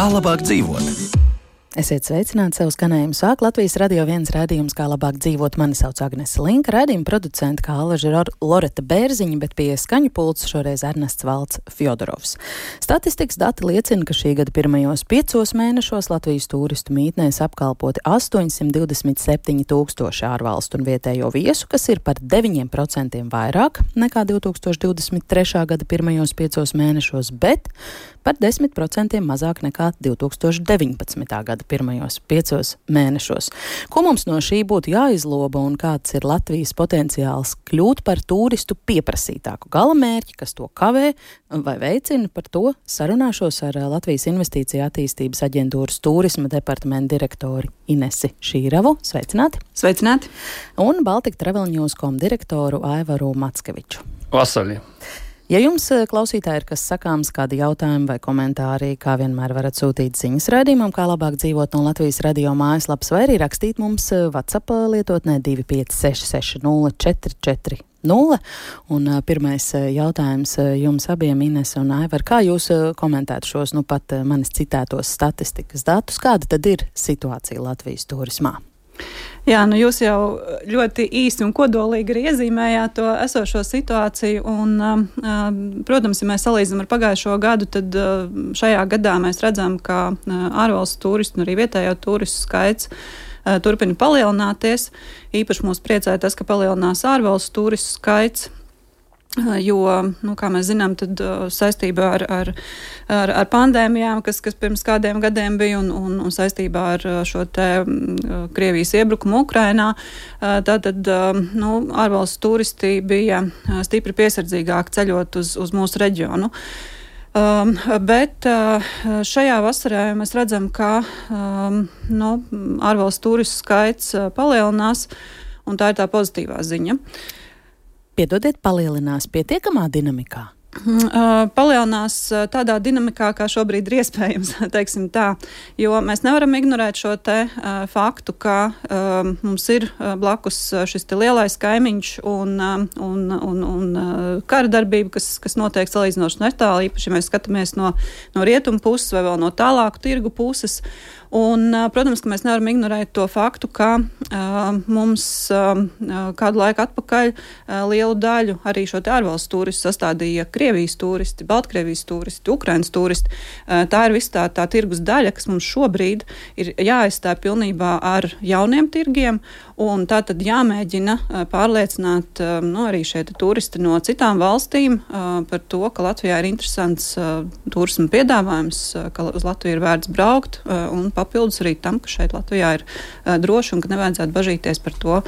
Kā labāk dzīvot? Esiet sveicināti, savu skanējumu sāk Latvijas Radio 1 raidījums Kā labāk dzīvot. Mani sauc Agnese Linka, raidījuma producenta kā Alaža Loreta Bērziņa, bet pie skaņu pults šoreiz Ernests Valds Fjodorovs. Statistikas dati liecina, ka šī gada pirmajos 5 mēnešos Latvijas turistu mītnēs apkalpoti 827 tūkstoši ārvalstu un vietējo viesu, kas ir par 9% vairāk nekā 2023. gada pirmajos 5 mēnešos, bet par 10% mazāk nekā 2019. gada pirmajos 5 mēnešos. Ko mums no šī būtu jāizloba un kāds ir Latvijas potenciāls kļūt par turistu pieprasītāku galamērķi, kas to kavē vai veicina? Par to sarunāšos ar Latvijas Investīcija attīstības aģentūras turisma departamenta direktori Inesi Šīravu. Sveicināti! Sveicināti! Un Baltic Travel News.com direktoru Aivaru Mackeviču. Vasaļi! Ja jums, klausītāji, ir kas sakāms, kādi jautājumi vai komentāri, kā vienmēr varat sūtīt ziņas raidījumam, kā labāk dzīvot no Latvijas radio mājaslapas, vai arī rakstīt mums WhatsApp lietotnē 256 60 440. Un pirmais jautājums jums abiem, Ines un Aivar, kā jūs komentētu šos pat manis citētos statistikas datus? Kāda tad ir situācija Latvijas turismā? Jā, jūs jau ļoti īsi un kodolīgi arī iezīmējāt to esošo situāciju, un, protams, ja mēs salīdzinām ar pagājušo gadu, tad šajā gadā mēs redzam, ka ārvalstu turistu un arī vietējo turistu skaits turpina palielināties. Īpaši mūs priecē tas, ka palielinās ārvalstu turistu skaits, jo, kā mēs zinām, tad saistībā ar pandēmijām, kas pirms kādiem gadiem bija, un saistībā ar šo te Krievijas iebrukumu Ukrainā, tātad ārvalstu turisti bija stipri piesardzīgāk ceļot uz mūsu reģionu. Bet šajā vasarā mēs redzam, ka ārvalstu turistu skaits palielinās, un tā ir tā pozitīvā ziņa. Piedodiet, palielinās pietiekamā dinamikā? Palielinās tādā dinamikā, kā šobrīd ir iespējams, teiksim tā, jo mēs nevaram ignorēt šo te faktu, ka mums ir blakus šis te lielais kaimiņš un kara darbība, kas notiek salīdzinoši netālu, īpaši, ja mēs skatāmies no rietumu puses vai vēl no tālāku tirgu puses. Un, protams, ka mēs nevaram ignorēt to faktu, ka mums kādu laiku atpakaļ lielu daļu arī šo te ārvalstu turistu sastādīja Krievijas turisti, Baltkrievijas turisti, Ukrainas turisti. Tā ir visa tā tirgus daļa, kas mums šobrīd ir jāaizstāj pilnībā ar jauniem tirgiem, un tā tad jāmēģina pārliecināt arī šie turisti no citām valstīm par to, ka Latvijā ir interesants turisma piedāvājums, ka uz Latviju ir vērts braukt, un papildus arī tam, ka šeit Latvijā ir droši un ka nevajadzētu bažīties par to,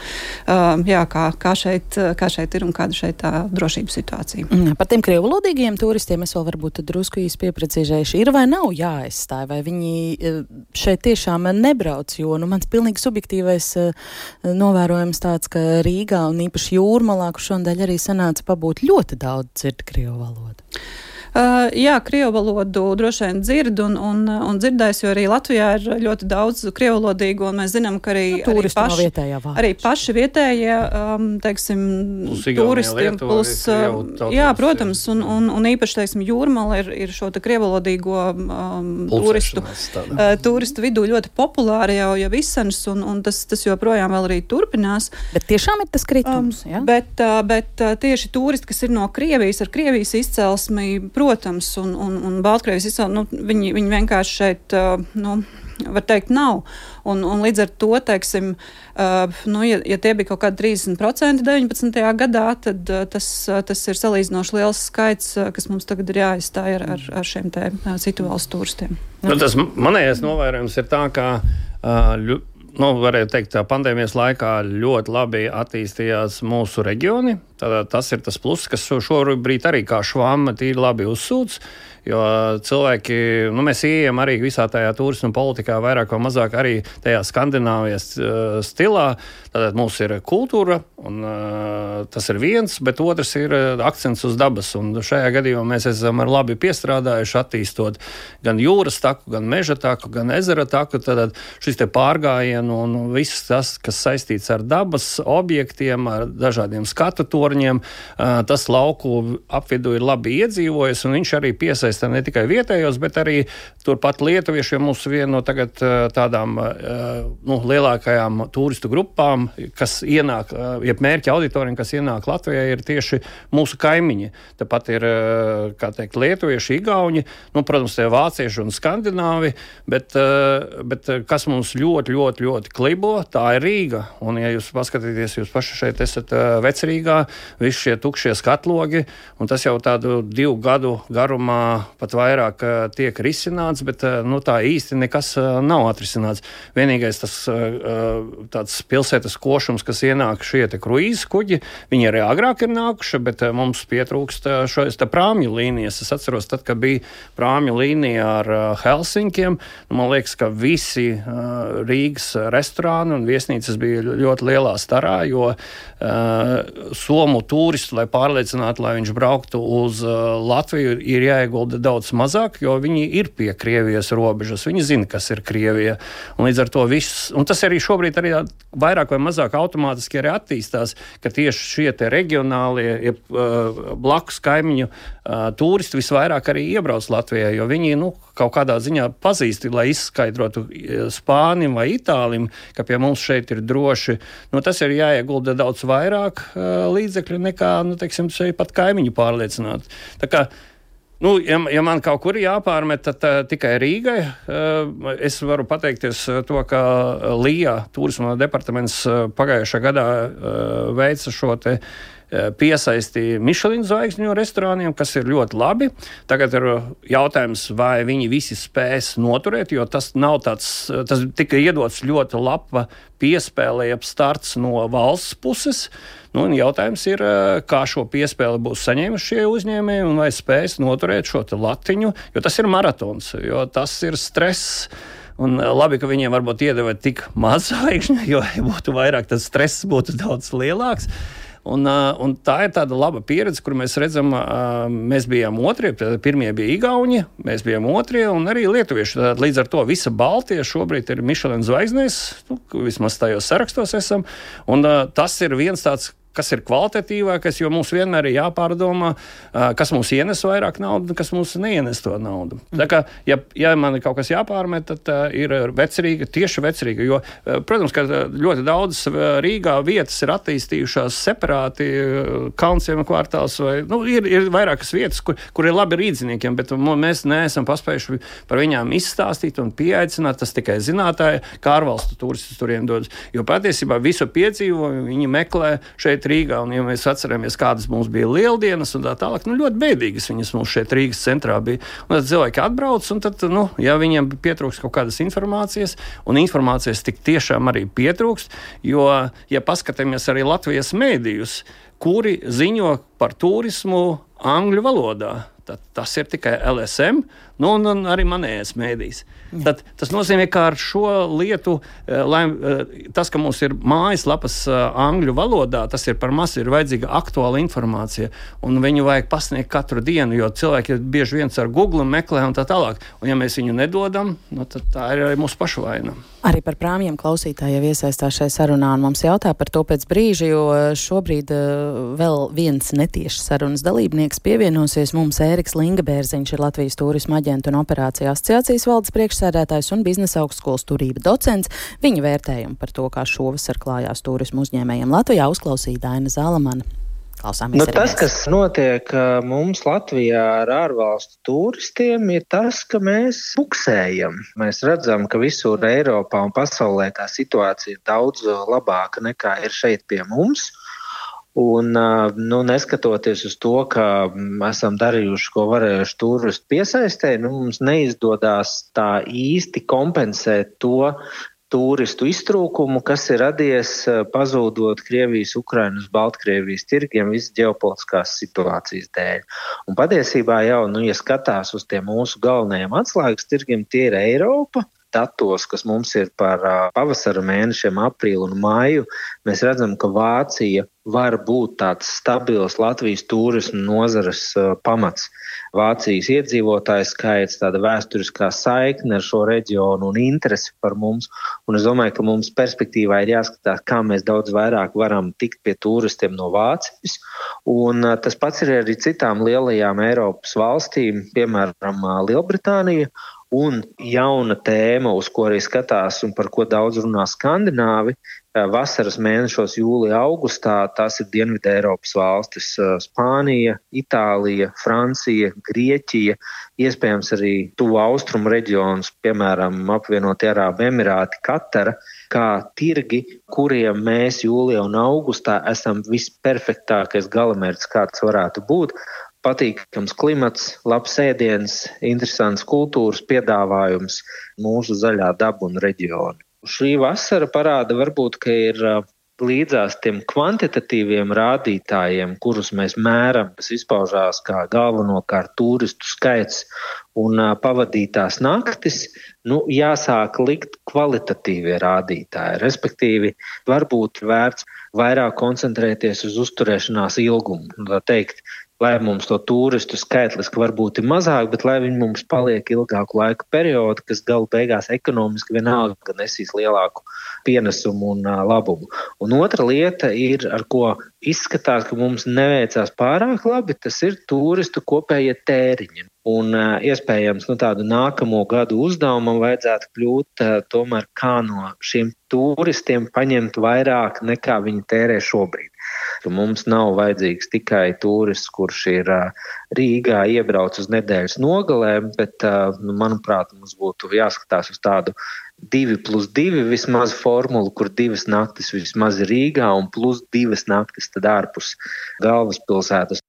kā šeit ir un kāda šeit tā drošības situācija. Par tiem krievulodīgiem turistiem es vēl varbūt drusku īsti pieprecīzējuši. Ir vai nav jāaizstāj, vai viņi šeit tiešām nebrauc, jo mans pilnīgi subjektīvais novērojums tāds, ka Rīgā un īpaši Jūrmalā, kur šodien arī sanāca pabūt ļoti daudz dzird krievu valodu. Jā, krievu valodu droši vien dzird un dzirdēs, jo arī Latvijā ir ļoti daudz krievulodīgu, un mēs zinām, ka arī paši vietējie, teiksim, turisti, protams, un īpaši, teiksim, Jūrmala ir šo te krievulodīgo turistu vidū ļoti populāri jau izsens, un tas joprojām vēl arī turpinās. Bet tiešām ir tas kritums, jā? Bet tieši turisti, kas ir no Krievijas, ar Krievijas izcelsmi, protams, un Baltkrievijas izcelsmi, viņi vienkārši šeit, var teikt, nav. Un līdz ar to, teiksim, ja tie bija kaut kādi 30% 19. gadā, tad tas ir salīdzinoši liels skaits, kas mums tagad ir jāizstāj ar šiem te citu valstu turistiem. Tas manējais novērojums ir tā, ka varētu teikt, pandēmijas laikā ļoti labi attīstījās mūsu reģioni. Tātad tas ir tas pluss, kas šobrīd arī kā švamma tīri labi uzsūc. Jo cilvēki, mēs ieejam arī visā tajā turisma politikā vairāk vai mazāk arī tajā Skandināvijas stilā. Tātad mums ir kultūra, un tas ir viens, bet otrs ir akcents uz dabas. Un šajā gadījumā mēs esam labi piestrādājuši, attīstot gan jūras taku, gan meža taku, gan ezera taku. Tātad šis te pārgājienu un viss tas, kas saistīts ar dabas objektiem, ar dažādiem skatu torņiem, torņiem. Tas lauku apvidu ir labi iedzīvojis, un viņš arī piesaista ne tikai vietējos, bet arī turpat lietuvieši, jo mums viena no tagad tādām lielākajām turistu grupām, kas ienāk, jeb mērķa auditoriem, kas ienāk Latvijā, ir tieši mūsu kaimiņi. Tāpat ir, kā teikt, lietuvieši, igauņi, protams, tie vācieši un skandināvi, bet kas mums ļoti klibo, tā ir Rīga. Un, ja jūs paskatīties, jūs paši šeit esat Vecrīgā, visi šie tukšie skatlogi, un tas jau tādu 2 gadu garumā pat vairāk tiek risināts, bet tā īsti nekas nav atrisināts. Vienīgais tas tāds pilsētas košums, kas ienāk šie te kruīzes kuģi, viņi arī agrāk ir nākuši, bet mums pietrūkst šojas prāmju līnijas. Es atceros, tad, kad bija prāmju līnija ar Helsinkiem, man liekas, ka visi Rīgas restorāni un viesnīcas bija ļoti lielā starā, jo somu turistu, lai pārliecinātu, lai viņš brauktu uz Latviju, ir jāiegulda daudz mazāk, jo viņi ir pie Krievijas robežas, viņi zina, kas ir Krievija. Un līdz ar to viss, un tas arī šobrīd arī vairāk vai mazāk automātiski arī attīstās, ka tieši šie te regionālie, blakus kaimiņu turisti visvairāk arī iebrauc Latvijā, jo viņi, kaut kādā ziņā pazīst, lai izskaidrotu Spānim vai Itālim, ka pie mums šeit ir droši. Tas ir jāiegulda daudz vairāk līdzekļu nekā, teiksim, šeit pat kaimiņu pārliecināt. Tā kā, ja man kaut kur jāpārmet, tad tikai Rīgai. Es varu pateikties to, ka Lijā turisma departaments pagājušā gadā veica šo te piesaistīja Michelin zvaigžņu restorāniem, kas ir ļoti labi. Tagad ir jautājums, vai viņi visi spēs noturēt, jo tas nav tas tika iedots ļoti laba piespēle, jeb starts no valsts puses. Jautājums ir, kā šo piespēli būs saņēmuši šie uzņēmēji un vai spēs noturēt šo te latiņu, jo tas ir maratons, jo tas ir stress. Un labi, ka viņiem varbūt iedeva tik maz zvaigžņu, jo ja būtu vairāk, tad stress būtu daudz lielāks. Un tā ir tāda laba pieredze, kur mēs redzam, mēs bijām otrie, pirmie bija igauņi, mēs bijām otrie un arī lietuvieši. Līdz ar to visa Baltija šobrīd ir Michelin zvaigznēs, vismaz tajos sarakstos esam, un tas ir viens tāds, kas ir kvalitatīvākais, jo mums vienmēr ir jāpārdomā, kas mums ienes vairāk naudu, kas mums neienes to naudu. Tā kā, ja man ir kaut kas jāpārmet, tad ir Vecrīga, tieši Vecrīga, jo, protams, ka ļoti daudz Rīgā vietas ir attīstījušās separāti, Kalnciema kvartāls, vai, ir vairākas vietas, kur ir labi rīdziniekiem, bet mēs neesam paspējuši par viņām izstāstīt un pieaicināt, tas tikai zinātāji, kā ārvalstu turistus turiem dodas. Jo patiesībā visu piedzīvojumu viņi meklē šeit Rīgā, un ja mēs atceramies, kādas mums bija lieldienas un tā tālāk, ļoti bēdīgas viņas mums šeit Rīgas centrā bija. Un tad cilvēki atbrauc, un tad, ja viņiem pietrūks kaut kādas informācijas, un informācijas tik tiešām arī pietrūks, jo, ja paskatāmies arī Latvijas mēdījus, kuri ziņo par turismu angļu valodā, tad tas ir tikai LSM, un arī manējais mēdījis. Tad tas nozīmē, ka ar šo lietu, tas, ka mums ir mājaslapas angļu valodā, tas ir par maz, ir vajadzīga aktuāla informācija, un viņu vajag pasniegt katru dienu, jo cilvēki bieži viens ar Google meklē un tā tālāk. Un ja mēs viņu nedodam, tad tā ir arī mūsu pašu vaina. Arī par prāmjiem klausītāji jau iesaistās šai sarunā, un mums jautā par to pēc brīža, jo šobrīd vēl viens netieši sarunas dalībnieks pievienosies mums. Ēriks Lingabērziņš ir Latvijas turisma aģentu un operāciju asociācijas valdes priekšsēdētājs un biznesa augstskolas turība docents. Viņa vērtējumu par to, kā šovasar klājās turismu uzņēmējiem Latvijā, uzklausīja Daina Zalamana. Tas, kas notiek mums Latvijā ar ārvalstu turistiem, ir tas, ka mēs buksējam. Mēs redzam, ka visur Eiropā un pasaulē tā situācija ir daudz labāka nekā ir šeit pie mums. Un, neskatoties uz to, ka esam darījuši, ko varējuši turistu piesaistē, mums neizdodas tā īsti kompensēt to turistu iztrūkumu, kas ir radies pazūdot Krievijas, Ukrainas, Baltkrievijas tirgiem visas ģeopolitiskās situācijas dēļ. Un patiesībā jau, ja skatās uz tiem mūsu galvenajiem atslēgas tirgiem, tie ir Eiropa, datos, kas mums ir par pavasara mēnešiem, aprīlu un maiju, mēs redzam, ka Vācija var būt tāds stabils Latvijas turismu nozares pamats. Vācijas iedzīvotāju skaits, tāda vēsturiskā saikne ar šo reģionu un interesi par mums. Un es domāju, ka mums perspektīvā ir jāskatās, kā mēs daudz vairāk varam tikt pie turistiem no Vācijas. Un tas pats ir arī citām lielajām Eiropas valstīm, piemēram, Lielbritānija. Un jauna tēma, uz ko arī skatās un par ko daudz runā skandināvi, vasaras mēnešos jūlijā, augustā, tās ir Dienvidu Eiropas valstis - Spānija, Itālija, Francija, Grieķija, iespējams arī tuvu austrumu reģionus, piemēram, apvienotie Arābu Emirāti, Katara, kā tirgi, kuriem mēs jūlijā un augustā esam visperfektākais galamērķis, kāds varētu būt. Patīkams klimats, labs ēdiens, interesants kultūras piedāvājums, mūsu zaļā daba un reģioni. Šī vasara parāda varbūt, ka ir līdzās tiem kvantitatīviem rādītājiem, kurus mēs mēram, kas izpaužās kā galvenokārt turistu skaits un pavadītās naktis, jāsāk likt kvalitatīvie rādītāji. Respektīvi, varbūt vērts vairāk koncentrēties uz uzturēšanās ilgumu. Tā teikt, lai mums to turistu skaitliski varbūt ir mazāk, bet lai viņi mums paliek ilgāku laika periodu, kas galu beigās ekonomiski vienalga nesīs lielāku pienesumu un labumu. Un otra lieta ir, ar ko izskatās, ka mums neveicās pārāk labi, tas ir turistu kopējie tēriņi. Un iespējams, tādu nākamo gadu uzdevumam vajadzētu kļūt tomēr kā no šiem turistiem paņemt vairāk nekā viņi tērē šobrīd. Mums nav vajadzīgs tikai turists, kurš ir Rīgā iebrauc uz nedēļas nogalēm, bet, manuprāt, mums būtu jāskatās uz tādu 2+2 vismaz formulu, kur 2 naktis vismaz ir Rīgā un plus 2 naktis tad ārpus galvaspilsētas.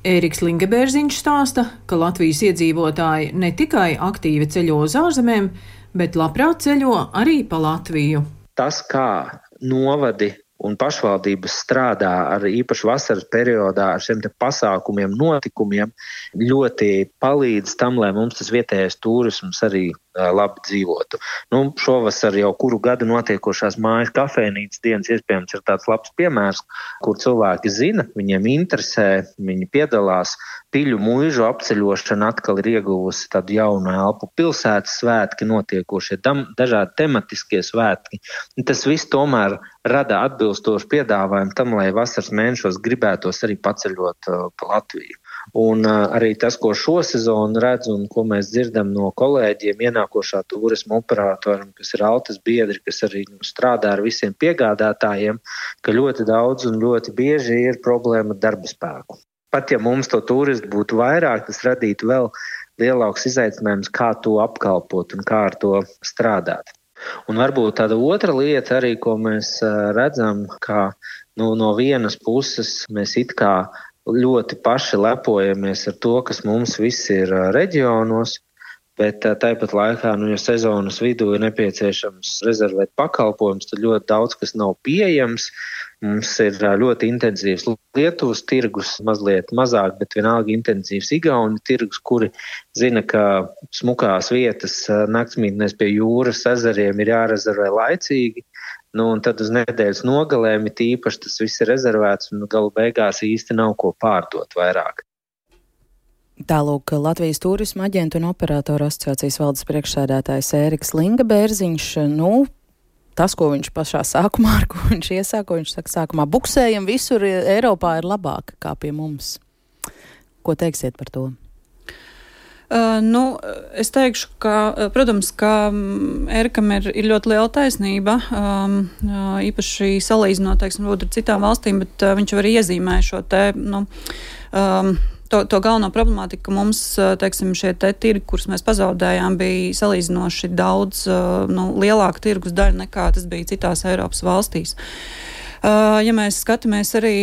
Ēriks Lingebērziņš stāsta, ka Latvijas iedzīvotāji ne tikai aktīvi ceļo uz ārzemēm, bet labprāt ceļo arī pa Latviju. Tas, kā novadi un pašvaldības strādā ar īpaši vasaras periodā ar šiem te pasākumiem, notikumiem, ļoti palīdz tam, lai mums tas vietējais turisms arī labi dzīvotu. Šovasar jau kuru gadu notiekošās mājas kafejnīcas dienas iespējams ir tāds labs piemērs, kur cilvēki zina, viņiem interesē, viņi piedalās. Piļu muižu apceļošana atkal ir ieguvusi tādu jaunu elpu, pilsētas svētki notiekošie, dažādi tematiskie svētki. Tas viss tomēr rada atbilstošu piedāvājumu tam, lai vasaras mēnešos gribētos arī paceļot pa Latviju. Un arī tas, ko šo sezonu redz un ko mēs dzirdam no kolēģiem, ienākošā turisma operatoriem, kas ir Altas biedri, kas arī strādā ar visiem piegādātājiem, ka ļoti daudz un ļoti bieži ir problēma ar darba spēku. Pat ja mums to turistu būtu vairāk, tas radītu vēl lielāks izaicinājums, kā to apkalpot un kā ar to strādāt. Un varbūt tāda otra lieta arī, ko mēs redzam, ka no vienas puses mēs it kā ļoti paši lepojamies ar to, kas mums viss ir reģionos, bet tāpat laikā, ja sezonas vidū ir nepieciešams rezervēt pakalpojumus, tad ļoti daudz kas nav pieejams. Mums ir ļoti intensīvs Lietuvas tirgus, mazliet mazāk, bet vienalga intensīvs Igauni tirgus, kuri zina, ka smukās vietas naktsmītnēs pie jūras ezeriem ir jārezervē laicīgi. Un tad uz nedēļas nogalēm ir īpaši tas viss ir rezervēts un galu beigās īsti nav ko pārdot vairāk. Tālūk Latvijas turisma aģentu un operatoru asociācijas valdes priekšsēdētājs Ēriks Lingebērziņš. Tas, ko viņš pašā sākumā, ar ko viņš iesāka, viņš saka, sākumā buksējam visur Eiropā ir labāk kā pie mums. Ko teiksiet par to? Es teikšu, ka, protams, ka Ērikam ir ļoti liela taisnība, īpaši salīdzinot, teiksim, ar citām valstīm, bet viņš arī iezīmē šo te, to galveno problemātiku, ka mums, teiksim, šie te tirgi, kurus mēs pazaudējām, bija salīdzinoši daudz lielāka tirgus daļa nekā tas bija citās Eiropas valstīs. Ja mēs skatāmies arī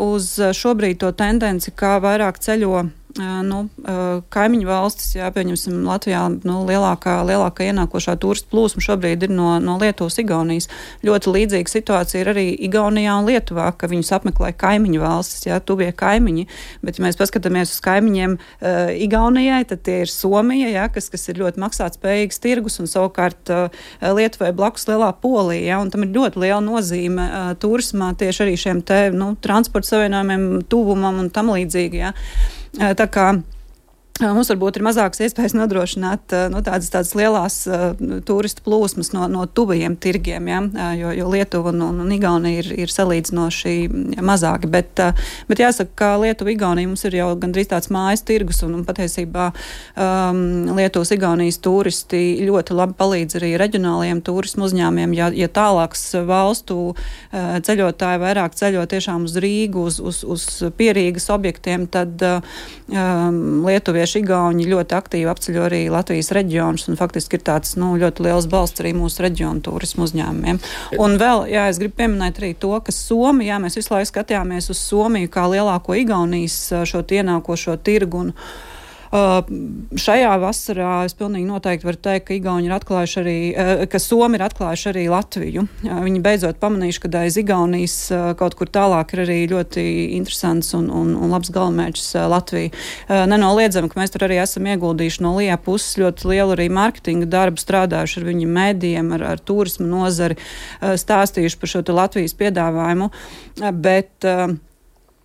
uz šobrīd to tendenci, kā vairāk ceļo kaimiņu valstis, pieņemsim Latvijā, lielākā ienākošā turistu plūsma šobrīd ir no Lietuvas, Igaunijas. Ļoti līdzīga situācija ir arī Igaunijā un Lietuvā, ka viņus apmeklē kaimiņu valstis, tuvie kaimiņi, bet ja mēs paskatāmies uz kaimiņiem Igaunijai, tad tie ir Somija, kas ir ļoti maksātspējīgs tirgus, un savukārt Lietuvai blakus lielā Polija, un tam ir ļoti liela nozīme turismā tieši arī šiem transporta savienojumiem, tuvumam un tam līdzīgi, Tā kā mums varbūt ir mazākas iespējas nodrošināt tādas lielās turistu plūsmas no tuvajiem tirgiem, jo Lietuva un Igaunija ir salīdzinoši mazāki. Bet jāsaka, ka Lietuva, Igaunija mums ir jau gandrīz tāds mājas tirgus, un patiesībā Lietuvas, Igaunijas turisti ļoti labi palīdz arī reģionālajiem turismu uzņēmiem. Ja tālāks valstu ceļotāji vairāk ceļo tiešām uz Rīgu, uz pierīgas objektiem, tad Lietuvieši Igauņi ļoti aktīvi apceļo arī Latvijas reģionus, un faktiski ir tāds ļoti liels balsts arī mūsu reģionu turismu uzņēmumiem. Un vēl, es gribu pieminēt arī to, ka Somija, mēs visu laiku skatījāmies uz Somiju kā lielāko Igaunijas šo ienākošo tirgu, un šajā vasarā es pilnīgi noteikti varu teikt, ka Igauni ir atklājuši arī, ka Somi ir atklājuši arī Latviju. Viņi beidzot pamanījuši, ka aiz Igaunijas kaut kur tālāk ir arī ļoti interesants un labs galamērķis Latvija. Nenoliedzam, ka mēs tur arī esam ieguldījuši no LIE puses ļoti lielu arī marketinga darbu, strādājuši ar viņu mēdījiem, ar turismu nozari, stāstījuši par šo Latvijas piedāvājumu,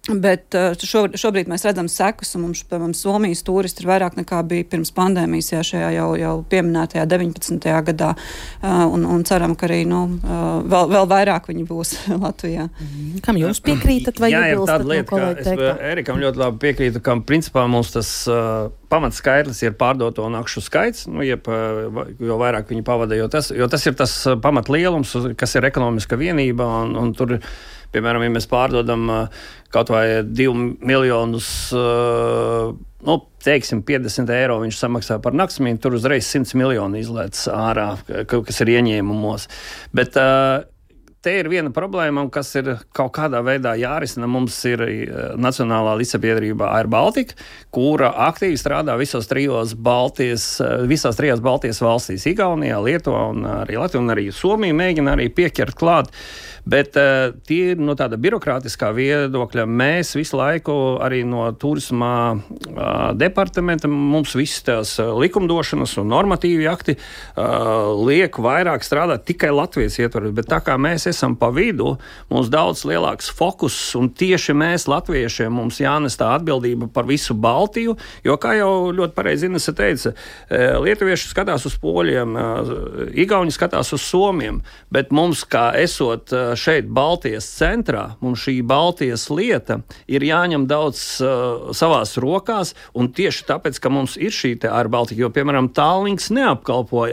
Bet šobrīd mēs redzam sekas, un mums, piemēram, Somijas turisti ir vairāk nekā bija pirms pandēmijas, šajā jau pieminētajā 19. gadā, un ceram, ka arī vēl vairāk viņi būs Latvijā. Kam jūs piekrītat vai iebilstat? Jā, ir tāda lieta, ka es Erikam ļoti labi piekrītu, ka principā mums tas pamatskaitlis ir pārdoto nakšu skaits, jo vairāk viņi pavada, jo tas ir tas pamatlielums, kas ir ekonomiska vienība, un tur, piemēram, ja mēs pārdodam kaut vai 2 miljonus, teiksim, 50 eiro viņš samaksā par naktsmītni, tur uzreiz 100 miljoni izlēc ārā, kas ir ieņēmumos. Bet te ir viena problēma, kas ir kaut kādā veidā jārisina. Mums ir Nacionālā līdzsabiedrība Air Baltica, kura aktīvi strādā visās trijās Baltijas valstīs - Igaunijā, Lietuvā un arī Latvijā, un arī Somija mēģina arī pieķert klāt. Bet tie no tāda birokrātiskā viedokļa mēs visu laiku arī no turisma departamenta mums visas tās likumdošanas un normatīvi akti liek vairāk strādāt tikai Latvijas ietvaros, bet tā kā mēs esam pa vidu, mums daudz lielāks fokus, un tieši mēs, latviešiem, mums jānes tā atbildība par visu Baltiju, jo, kā jau ļoti pareizi Inese teica, lietuvieši skatās uz poļiem, igauņi skatās uz somiem, bet mums, kā esot šeit Baltijas centrā, mums šī Baltijas lieta ir jāņem daudz savās rokās, un tieši tāpēc, ka mums ir šī te Air Baltica, jo, piemēram, Tallinks neapkalpo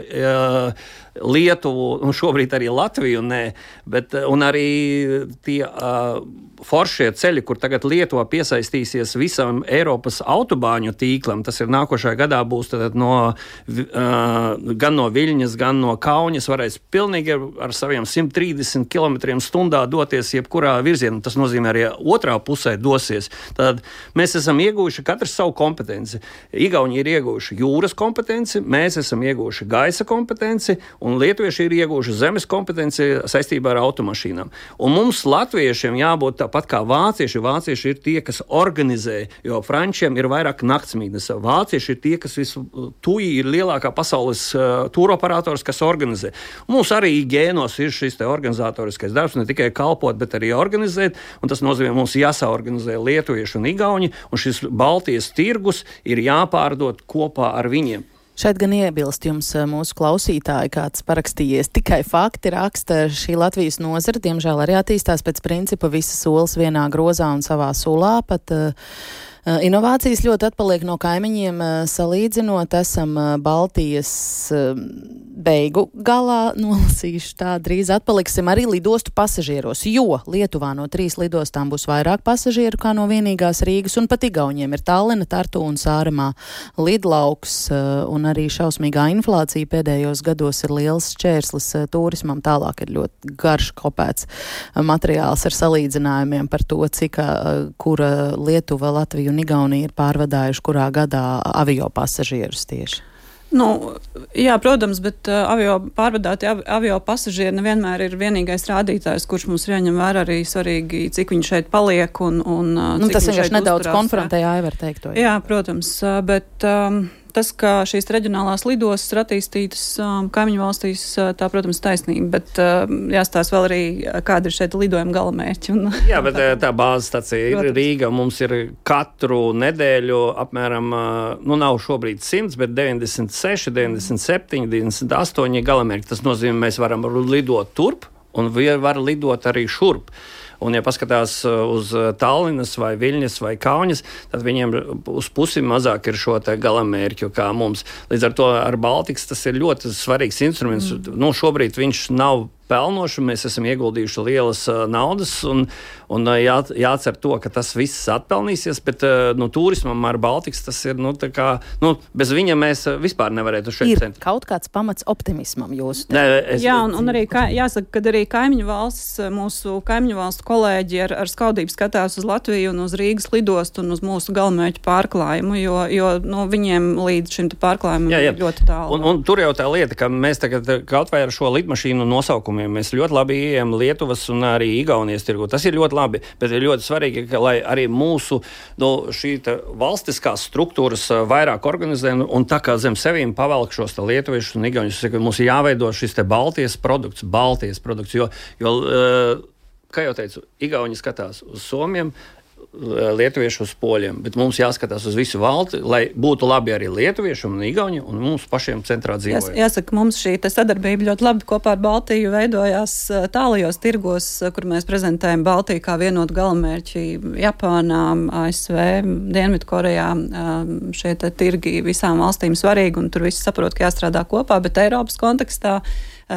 Lietuvu, un šobrīd arī Latviju, un arī tie foršie ceļi, kur tagad Lietuva piesaistīsies visam Eiropas autobāņu tīklam, tas ir nākošajā gadā būs gan no Viļņas, gan no Kaunas, varēs pilnīgi ar saviem 130 km/h doties jebkurā virzienā. Tas nozīmē arī otrā pusē dosies. Tad mēs esam ieguvuši katrs savu kompetenci. Igauni ir ieguvuši jūras kompetenci, mēs esam ieguvuši gaisa kompetenci, un lietuvieši ir ieguvuši zemes kompetenci saistībā ar automašīnām. Un mums, latviešiem, jābūt tāpat kā vācieši. Vācieši ir tie, kas organizē, jo frančiem ir vairāk naktsmītnes. Vācieši ir tie, kas TUI ir lielākā pasaules tūroperators, kas organizē. Un mums arī gēnos ir šis te organizatoriskais darbs, ne tikai kalpot, bet arī organizēt, un tas nozīmē, mums jāsaorganizē lietuvieši un igauņi, un šis Baltijas tirgus ir jāpārdod kopā ar viņiem. Šeit gan iebilst jums mūsu klausītāji, kāds parakstījies. Tikai fakti raksta šī Latvijas nozara, diemžēl arī attīstās pēc principa visas solas vienā grozā un savā sulā, pat inovācijas ļoti atpaliek no kaimiņiem, salīdzinot, esam Baltijas beigu galā, nolasīšu tā, drīz atpaliksim arī lidostu pasažieros, jo Lietuvā no 3 lidostām būs vairāk pasažieru kā no vienīgās Rīgas, un pat Igauniem ir Tallina, Tartu un Sāremā lidlauks, un arī šausmīgā inflācija pēdējos gados ir liels šķērslis turismam, tālāk ir ļoti garš kopēts materiāls ar salīdzinājumiem par to, cik kura Lietuva, Latvija un un Igaunija ir pārvadājuši kurā gadā avio pasažierus tieši? Jā, protams, bet pārvadāti avio pasažieri nevienmēr ir vienīgais rādītājs, kurš mums ir jāņem vērā arī svarīgi, cik viņi šeit paliek un tas vienkārši nedaudz konfrontēja Aivar teikto. Jā, protams, bet tas, ka šīs reģionālās lidostas ir attīstītas kaimiņu valstīs, tā, protams, taisnība, bet jāstāsta vēl arī, kāda ir šeit lidojuma galamērķi. Jā, bet tā bāzes stacija ir Rīga. Mums ir katru nedēļu apmēram, nav šobrīd 100, bet 96, 97, 98 galamērķi. Tas nozīmē, mēs varam lidot turp un var lidot arī šurp. Un, ja paskatās uz Tallinas vai Viļņas vai Kaunas, tad viņiem uz pusi mazāk ir šo te galamērķu kā mums. Līdz ar to ar Baltikas tas ir ļoti svarīgs instruments. Šobrīd viņš nav pelnoši, mēs esam ieguldījuši lielas naudas un jācer to, ka tas viss atpelnīsies, bet turismam ar Baltikas tas ir, bez viņa mēs vispār nevarētu šeit centīt. Ir kaut kāds pamats optimismam jūsu? Jā, un arī jāsaka, ka arī kaimiņu valsts, mūsu kaimiņu valstu kolēģi ar skaudību skatās uz Latviju un uz Rīgas lidostu un uz mūsu galamērķu pārklājumu, jo viņiem līdz šim pārklājumam ir ļoti tālu. Un tur jau tā lieta, ka mēs tagad kaut vai ar šo lidmašīnu nosaukumu mēs ļoti labi ejam Lietuvas un arī Igaunijas tirgu. Tas ir ļoti labi, bet ir ļoti svarīgi, ka, lai arī mūsu šī valstiskās struktūras vairāk organizē un tā kā zem sevīm pavelk šos lietuviešus un igauņus, mums ir jāveido šis Baltijas produkts, jo, kā jau teicu, Igauni skatās uz Somiem, lietuvieši uz poļiem, bet mums jāskatās uz visu valsti, lai būtu labi arī lietuvieši un igauņi un mums pašiem centrā dzīvojot. Jāsaka, mums šī sadarbība ļoti labi kopā ar Baltiju veidojās tālajos tirgos, kur mēs prezentējam Baltiju kā vienotu galamērķi Japānā, ASV, Dienvidkorejā. Šie tirgi visām valstīm svarīgi un tur visi saprot, ka jāstrādā kopā, bet Eiropas kontekstā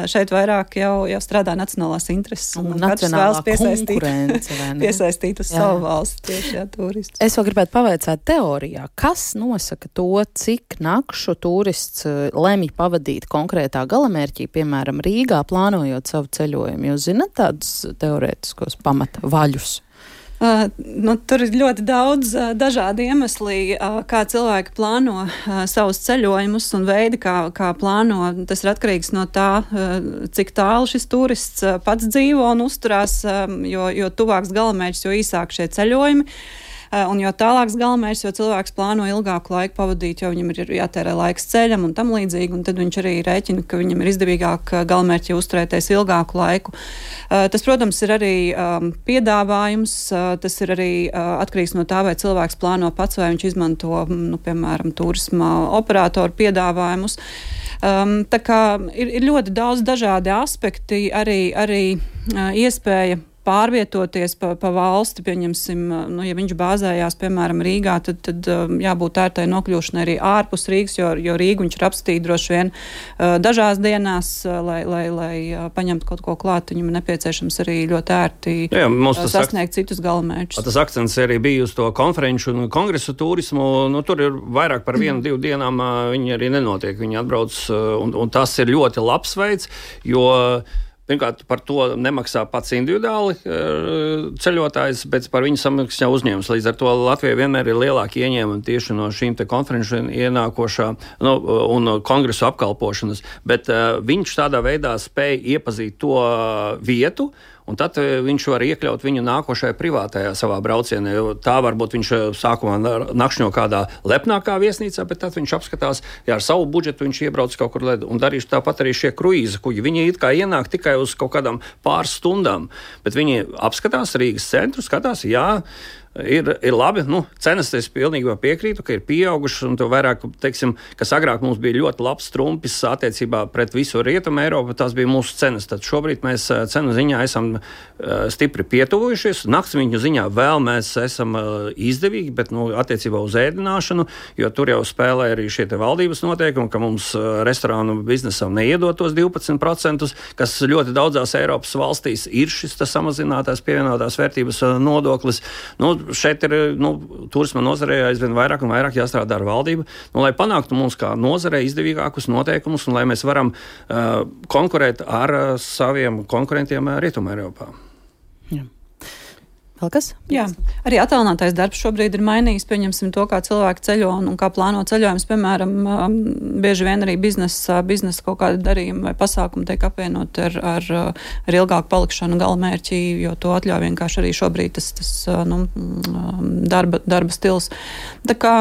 šeit vairāk jau strādā nacionālās intereses un nacionālā konkurence, piesaistīt uz savu valsti tieši turistus. Es vēl gribētu pavaicāt teorijā, kas nosaka to, cik nakšu turists lemj pavadīt konkrētā galamērķī, piemēram, Rīgā, plānojot savu ceļojumu. Jūs zināt tādus teorētiskos pamata vaļus? Tur ir ļoti daudz dažādi iemesli, kā cilvēki plāno savus ceļojumus un veidi, kā plāno. Tas ir atkarīgs no tā, cik tālu šis turists pats dzīvo un uzturās, jo tuvāks galamērķis, jo īsāk šie ceļojumi. Un jo tālāks galamērķis, jo cilvēks plāno ilgāku laiku pavadīt, jo viņam ir jātērē laiks ceļam un tam līdzīgi, un tad viņš arī rēķina, ka viņam ir izdevīgāk galamērķi uzturēties ilgāku laiku. Tas, protams, ir arī piedāvājums, tas ir arī atkarīgs no tā, vai cilvēks plāno pats, vai viņš izmanto, piemēram, turisma operatoru piedāvājumus. Tā kā ir ļoti daudz dažādi aspekti, arī iespēja pārvietoties pa valsti, pieņemsim, ja viņš bāzējās, piemēram, Rīgā, tad jābūt ērtai nokļūšanai arī ārpus Rīgas, jo Rīgu viņš ir apstīt droši vien dažās dienās, lai paņemtu kaut ko klāt, viņam nepieciešams arī ļoti ērti sasniegt citus galamērķus. Tas akcents arī bija uz to konferenču un kongresu turismu, tur ir vairāk par 1-2 dienām viņi arī nenotiek, viņi atbrauc, un tas ir ļoti labs veids, jo pirmkārt, par to nemaksā pats individuāli ceļotājs, bet par viņu samaksā uzņēmums. Līdz ar to Latvijai vienmēr ir lielāki ieņēmumi tieši no šīm te konferenču ienākošā un kongresu apkalpošanas, bet viņš tādā veidā spēja iepazīt to vietu, un tad viņš var iekļaut viņu nākošajā privātajā savā braucienā, jo tā varbūt viņš sākumā nakšņo kādā lepnākā viesnīcā, bet tad viņš apskatās, ar savu budžetu viņš iebrauc kaut kur un darīs tāpat arī šie kruīza kuģi. Viņi it kā ienāk tikai uz kaut kādām pāris stundām, bet viņi apskatās Rīgas centru, skatās, ir labi, cenas es pilnībā piekrītu, ka ir pieaugušas un to vairāk, teiksim, kas agrāk mums bija ļoti labs trumpis attiecībā pret visu Rietumu Eiropu, tās bija mūsu cenas. Tad šobrīd mēs cenu ziņā esam stipri pietuvojušies, naktsmītņu ziņā vēl mēs esam izdevīgi, bet attiecībā uz ēdināšanu, jo tur jau spēlē arī šie te valdības noteikumi, ka mums restorānu biznesam neiedot tos 12%, kas ļoti daudzās Eiropas valstīs ir šis samazinātās pievienotās vērtības nodoklis. Šeit ir turisma nozarē aizvien vairāk un vairāk jāstrādā ar valdību, lai panāktu mums kā nozarē izdevīgākus noteikumus un lai mēs varam konkurēt ar saviem konkurentiem Rietumē Eiropā. Jā. Vēl kas? Jā, arī attālinātais darbs šobrīd ir mainījis, pieņemsim to, kā cilvēki ceļo un kā plāno ceļojums, piemēram, bieži vien arī biznesa kaut kādi darījumi vai pasākumi tiek apvienot ar ilgāku palikšanu galamērķī, jo to atļauj vienkārši arī šobrīd tas darba stils. Tā kā,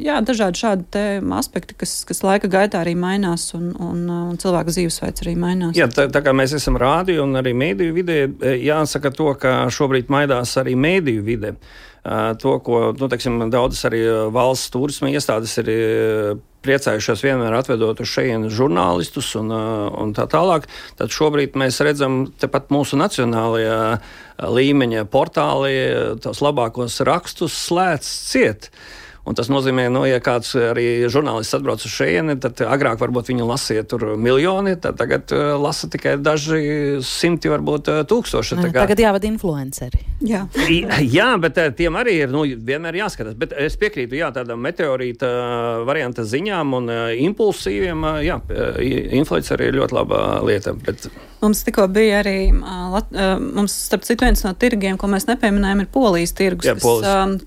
jā, dažādi šādi te aspekti, kas laika gaitā arī mainās un cilvēku dzīvesveids arī mainās. Jā, tā kā mēs esam rādio un arī mēdīju vidē, jāsaka to, ka šobrīd maidās arī mēdīju vide. To, ko, teiksim, daudzas arī valsts turisma iestādes ir priecājušās vienmēr atvedot uz šejienu žurnālistus un tā tālāk, tad šobrīd mēs redzam tepat mūsu nacionālajā līmeņa portāli tos labākos rakstus slēdz ciet. Un tas nozīmē, ja kāds arī žurnālists atbrauc uz šejieni, tad agrāk varbūt viņu lasīja tur miljoni, tad tagad lasa tikai daži simti, varbūt tūkstoši. Tagad jāvada influenceri. Jā, bet tiem arī ir vienmēr jāskatās. Bet es piekrītu, tādām meteorīta varianta ziņām un impulsīviem, influenceri ir ļoti laba lieta. Bet... Mums tikko bija arī, mums starp citu viens no tirgiem, ko mēs nepieminējam, ir Polijas tirgus,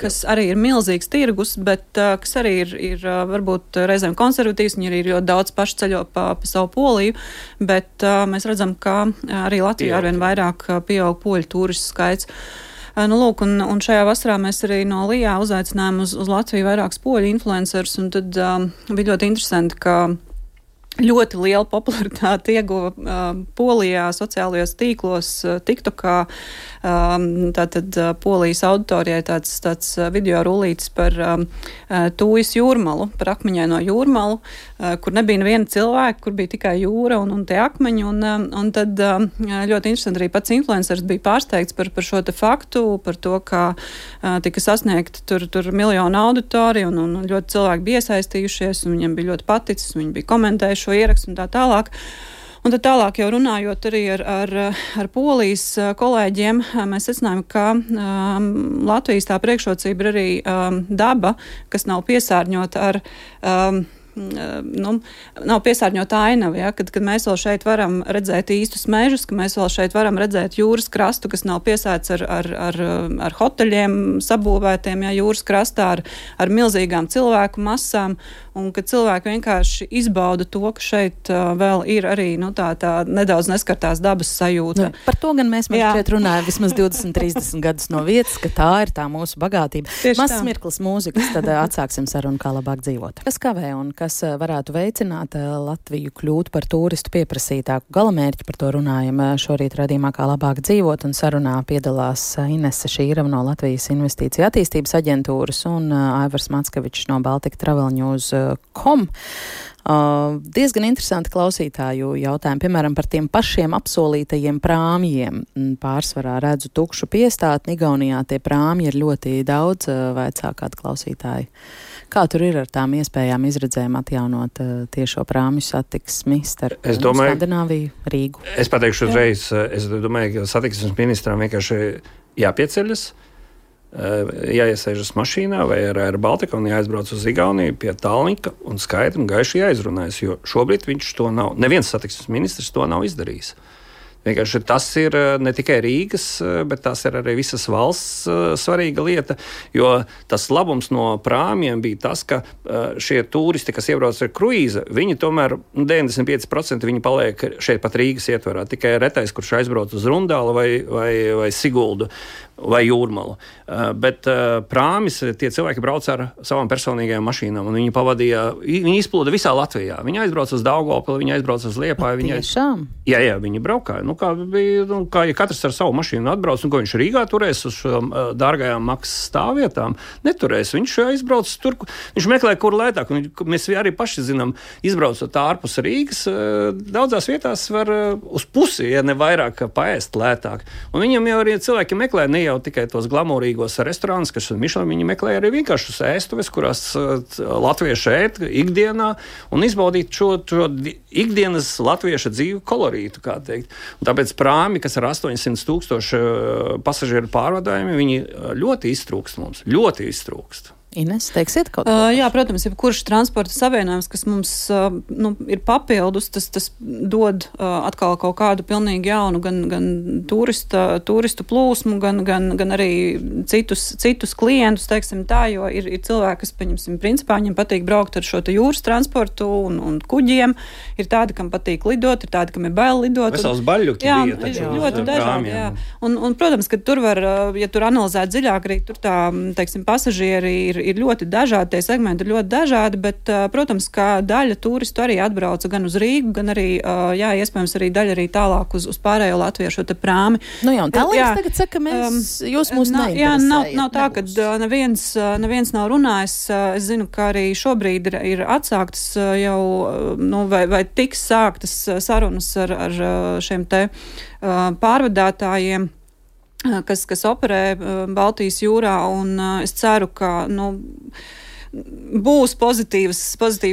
kas arī ir milzīgs tirgus, bet kas arī ir varbūt reizēm konservatīvs, viņi arī ļoti daudz paši ceļo pa savu Poliju, bet mēs redzam, ka arī Latvijā arvien vairāk pieaug poļu turistu skaits. Lūk, un šajā vasarā mēs arī no Lijā uzaicinājām uz Latviju vairākus poļu influencerus, un tad bija ļoti interesanti, ka ļoti liela popularitāte ieguva Polijā sociālajos tīklos, TikTokā, tātad Polijas auditorijai tāds video rullītis par Tūjas jūrmalu, par akmeņaino jūrmalu, kur nebija neviena cilvēka, kur bija tikai jūra un tie akmeņi, un tad ļoti interesanti arī pats influenceris bija pārsteigts par šo te faktu, par to, ka tika sasniegta tur miljonu auditoriju, un ļoti cilvēki bija iesaistījušies, un viņiem bija ļoti paticis, viņi bija komentējuši šo ierakstu un tā tālāk. Un tad tālāk jau runājot arī ar Polijas kolēģiem, mēs secinājām, ka Latvijas tā priekšrocība ir arī daba, kas nav piesārņota ar... nav piesārņota ainava, ja? Kad mēs vēl šeit varam redzēt īstus mežus, ka mēs vēl šeit varam redzēt jūras krastu, kas nav piesēts ar hoteļiem sabūvētiem, ja, jūras krastā ar milzīgām cilvēku masām, un ka cilvēki vienkārši izbauda to, ka šeit vēl ir arī tā nedaudz neskartās dabas sajūta. Par to gan mēs šeit runājam vismaz 20-30 gadus no vietas, ka tā ir tā mūsu bagātība. Mazs mirklis mūzikas, tad atsāksim sarunu, kā labāk dzīvot. Kas kavē un kas varētu veicināt Latviju kļūt par turistu pieprasītāku galamērķi, par to runājam šorīt raidījumā, kā labāk dzīvot, un sarunā piedalās Inese Šīrava no Latvijas Investīciju attīstības aģentūras un Aivars Mackevičs no baltiktravelnews.com. Diezgan interesanti klausītāju jautājumi, piemēram, par tiem pašiem apsolītajiem prāmjiem. Pārsvarā redzu tukšu piestātni, Igaunijā tie prāmji ir ļoti daudz, vaicā kādu klausītāju. Kā tur ir ar tām iespējām izredzēm atjaunot tiešo prāmju satiksmi starp Skandināviju, Rīgu? Es pateikšu uzreiz, es domāju, ka satiksmes ministram vienkārši jāpieceļas, jāiesēžas mašīnā vai ar Baltiku un jāaizbrauc uz Igauniju pie Tallinka un skaidri un gaiši jāizrunājas, jo šobrīd viņš to nav, neviens satiksmes ministrs to nav izdarījis. Vienkārši tas ir ne tikai Rīgas, bet tas ir arī visas valsts svarīga lieta, jo tas labums no prāmjiem bija tas, ka šie turisti, kas iebrauc ar kruīza, viņi tomēr 95% viņi paliek šeit pat Rīgas ietvarā. Tikai retais, kurš aizbrauc uz Rundālu vai Siguldu vai Jūrmalu. Bet prāmis, tie cilvēki brauc ar savām personīgajām mašīnām, un viņi izplūda visā Latvijā. Viņi aizbrauc uz Daugavpili, viņi aizbrauc uz Liepāju. Jā, viņi braukāja. Kā ja katrs ar savu mašīnu atbrauc, ko viņš Rīgā turēs uz dārgajām maksas stāvvietām, neturēs. Viņš aizbrauc tur, viņš meklē, kur lētāk. Mēs arī paši zinām, izbraucot ārpus Rīgas, daudzās vietās var uz pusi, ja ne vairāk, paēst lētāk. Un viņam jau arī cilvēki meklē ne jau tikai tos glamūrīgos restorānus, kas Michelin, viņi meklē arī vienkāršus ēstuves, kurās latvieši ēt ikdienā un izbaudīt šo ikdienas latvieša dzīvu kolorītu, kā teikt. Un tāpēc prāmi, kas ar 800,000 pasažieru pārvadājumi, viņi ļoti iztrūkst mums, ļoti iztrūkst. Ines, teiksiet kaut ko? Jā, protams, jebkurš transporta savienojums, kas mums ir papildus, tas dod atkal kaut kādu pilnīgi jaunu gan turistu plūsmu, gan arī citus klientus, teiksim tā, jo ir cilvēki, kas, pieņemsim, principā viņiem patīk braukt ar šo te jūras transportu un kuģiem, ir tādi, kam patīk lidot, ir tādi, kam ir bail lidot. Vesels baļļuki bija taču. Ļoti dažādi, jā. Un, protams, ka tur var, ja tur analizēt dziļāk, arī tur tā, teiksim, pasažieri ir ļoti dažādi, tie segmenti ir ļoti dažādi, bet, protams, ka daļa turistu arī atbrauca gan uz Rīgu, gan arī, iespējams, arī daļa arī tālāk uz pārējo Latviju šo te prāmi. Nu jā, un tālāk tagad saka, jūs mūs neinteresējat. Jā, nav tā, ka neviens nav runājis. Es zinu, ka arī šobrīd ir atsāktas jau, vai tiks sāktas sarunas ar šiem te pārvadātājiem, kas operē Baltijas jūrā, un es ceru, ka, būs pozitīva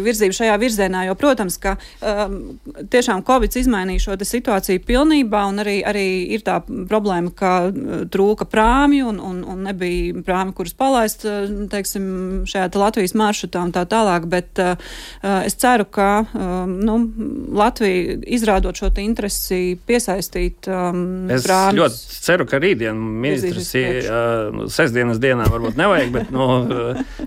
virzība šajā virzienā, jo, protams, ka tiešām Covid izmainīja šo situāciju pilnībā, un arī ir tā problēma, ka trūka prāmju un nebija prāmi, kuras palaist, teiksim, šajā Latvijas maršrutā un tā tālāk, bet es ceru, ka Latvija izrādot šo interesi piesaistīt prāmis. Es ļoti ceru, ka rītdien ministrs sestdienas dienā varbūt nevajag,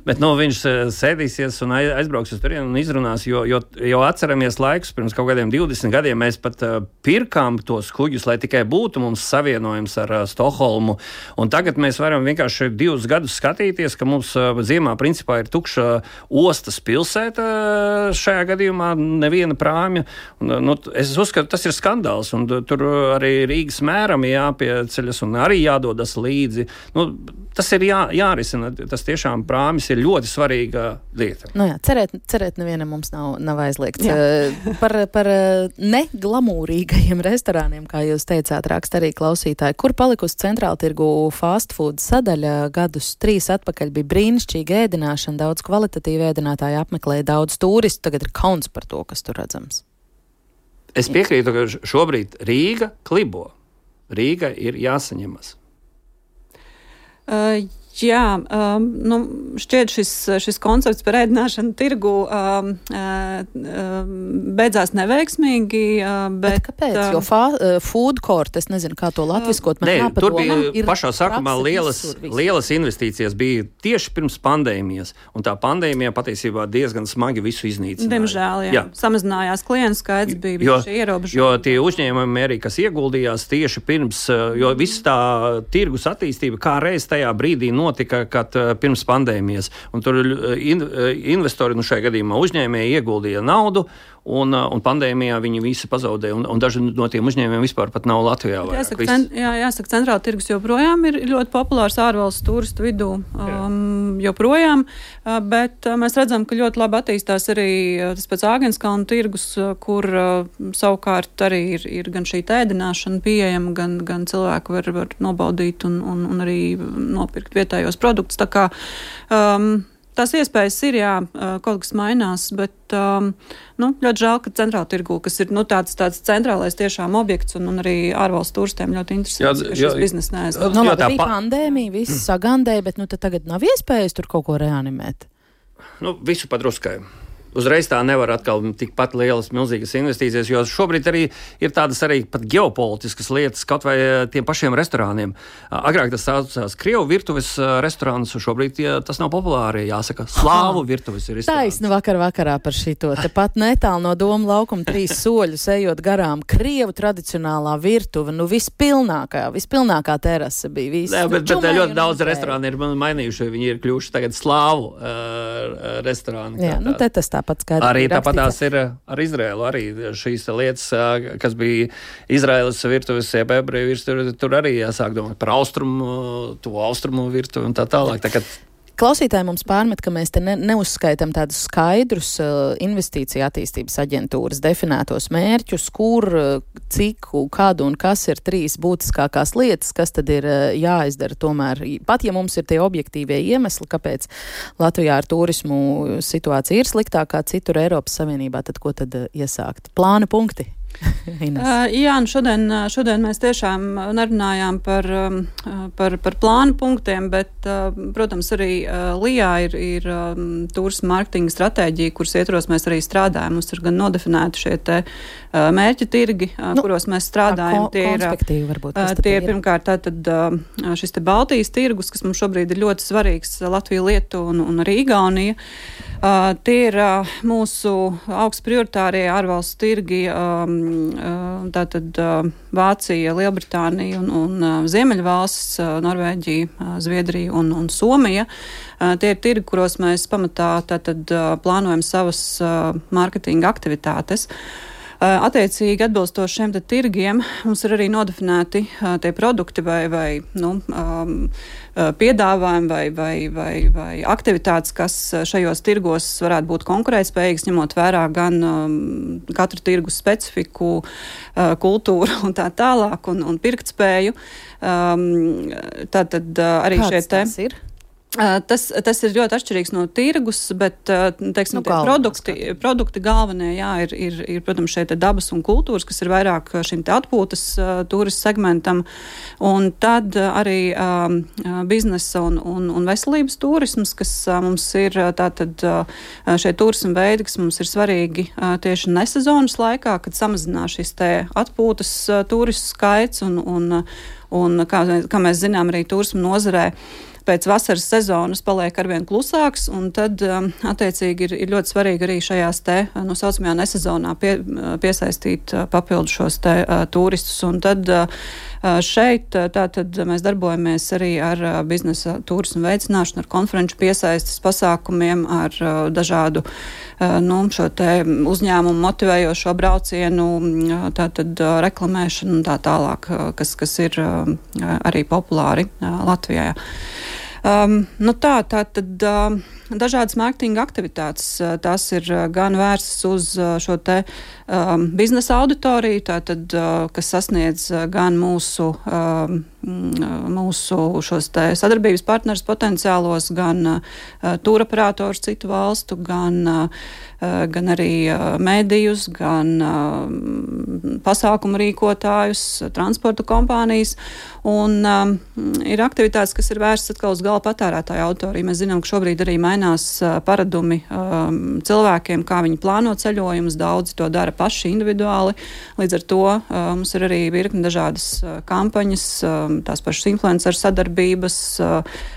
bet viņš sēdīsies un aizbrauks uz turieni un izrunās, jo atceramies laikus, pirms kaut kādiem 20 gadiem mēs pat pirkām tos kuģus, lai tikai būtu mums savienojums ar Stokholmu. Un tagad mēs varam vienkārši 2 gadus skatīties, ka mums ziemā principā ir tukša ostas pilsēta šajā gadījumā, neviena prāmja. Es uzskatu, tas ir skandāls, un tur arī Rīgas mēram jāpieceļas un arī jādodas līdzi. Tas ir jārisina. Tas tiešām prāmis ir ļoti svarīga lieta. Jā, cerēt nevienam mums nav aizliegts. Par neglamūrīgajiem restorāniem, kā jūs teicāt, raksta arī klausītāji. Kur palikusi centrāla tirgu fast food sadaļa? Gadus 3 atpakaļ bija brīnišķīga ēdināšana, daudz kvalitatīva ēdinātāji apmeklēja, daudz turistu, tagad ir kauns par to, kas tur redzams. Es piekrītu, ka šobrīd Rīga klibo. Rīga ir jāsaņemas. Šķiet šis koncepts par ēdināšanu tirgu beidzās neveiksmīgi, bet kāpēc? Jo food court, es nezinu, kā to latviskot, tur bija pašā sākumā lielas investīcijas bija tieši pirms pandēmijas, un tā pandēmija patiesībā diezgan smagi visu iznīcināja. Diemžēl, jā. Samazinājās klientu skaits, bija ierobežojumi. Jo tie uzņēmumi arī, kas ieguldījās tieši pirms, jo viss tā tirgus attīstība kā reiz tajā brīdī notika, kad pirms pandēmijas. Un tur investori šajā gadījumā uzņēmēji ieguldīja naudu, un pandēmijā viņi visi pazaudēja, un daži no tiem uzņēmējiem vispār pat nav Latvijā. Jāsaka, centrāla tirgus joprojām ir ļoti populārs ārvalstu turistu vidū, joprojām, bet mēs redzam, ka ļoti labi attīstās arī tas pēc Āgenskalna tirgus, kur savukārt arī ir gan šī ēdināšana pieejama, gan cilvēki var nobaudīt un arī nopirkt vietējos produktus. Tā kā tās iespējas ir, kaut kas mainās, bet ļoti žēl, ka centrāla tirgū, kas ir tāds centrālais tiešām objekts un arī ārvalstu turistiem ļoti interesants, ka šis biznes neaizved. Bija pandēmija, viss sagandēja, bet tad tagad nav iespējas tur kaut ko reanimēt. Visu padruskai. Uzreiz tā nevar atkal tikpat lielas, milzīgas investīcijas, jo šobrīd arī ir tādas arī pat ģeopolitiskas lietas, kaut vai tiem pašiem restorāniem. Agrāk tas saucās Krievu virtuves restorāns, šobrīd tas nav populāri, jāsaka, slāvu virtuves ir restorāns. Taisni vakarā par šito. Tepat netālu no Doma laukuma 3 soļus ejot garām Krievu tradicionālā virtuve, vispilnākā terasa bija. Jā, bet ļoti daudz restorāni ir mainījuši, viņi ir kļuvuši tagad slāvu restorāni. Jā, tas tāpat skaidrs. Arī tāpatās ir ar Izraēlu, arī šīs lietas, kas bija Izraēlas virtuves, ebreju virtuves, tur arī jāsāk domāt par austrumu virtuvi un tā tālāk. Klausītāji mums pārmet, ka mēs te neuzskaitam tādus skaidrus investīciju attīstības aģentūras definētos mērķus, kur, cik, kādu un kas ir 3 būtiskākās lietas, kas tad ir jāizdara tomēr. Pat ja mums ir tie objektīvie iemesli, kāpēc Latvijā ar turismu situācija ir sliktākā citur Eiropas Savienībā, tad ko tad iesākt? Plāna punkti? Jā, šodien mēs tiešām nerunājām par plānu punktiem, bet, protams, arī LIJā ir turisma mārketinga stratēģija, kuras ietvaros mēs arī strādājam. Mums ir gan nodefinēti šie te mērķu tirgi, kuros mēs strādājam. Tie ir pirmkārt tātad šis te Baltijas tirgus, kas mums šobrīd ir ļoti svarīgs, Latvija, Lietuva un arī Igaunija. Tie ir mūsu augsts prioritārie ārvalstu tirgi, tātad Vācija, Lielbritānija un Ziemeļvalstis, Norvēģija, Zviedrija un Somija. Tie ir tirgi, kuros mēs pamatā tātad plānojam savas mārketinga aktivitātes. Attiecīgi atbilstoši šiem tirgiem mums ir arī nodefinēti tie produkti vai piedāvājumi vai aktivitātes, kas šajos tirgos varētu būt konkurētspējīgas, ņemot vērā gan katru tirgu specifiku, kultūru un tā tālāk un pirktspēju. Tātad arī šie te ir. Tas ir ļoti atšķirīgs no tirgus, bet, teiksim, produkti galvenie, jā, ir, protams, šeit dabas un kultūras, kas ir vairāk šim te atpūtas turismu segmentam, un tad arī biznesa un veselības turisms, kas mums ir tātad šie turismu veidi, kas mums ir svarīgi tieši nesezonas laikā, kad samazinās šis te atpūtas turistu skaits, un kā mēs zinām, arī turismu nozarē pēc vasaras sezonas paliek arvien klusāks, un tad, attiecīgi, ir ļoti svarīgi arī šajās te, saucamajā nesezonā piesaistīt papildu šos te turistus. Un tad šeit tātad mēs darbojamies arī ar biznesa turismu veicināšanu, ar konferenču piesaistes pasākumiem, ar dažādu šo te uzņēmumu motivējošo braucienu, tātad reklamēšanu un tā tālāk, kas ir arī populāri Latvijā. Tātad dažādas mārketinga aktivitātes, tās ir gan vērstas uz šo te biznesa auditoriju, tātad, kas sasniedz gan mūsu šos te sadarbības partnerus potenciālos, gan tūroperators citu valstu, gan arī mēdījus, gan pasākumu rīkotājus, transporta kompānijas, un ir aktivitātes, kas ir vērstas atkal uz gala patērētāju auditoriju. Mēs zinām, ka šobrīd arī mainās paradumi cilvēkiem, kā viņi plāno ceļojumus, daudzi to dara paši individuāli, līdz ar to mums ir arī virkni dažādas kampaņas, tās pašas influenceru sadarbības,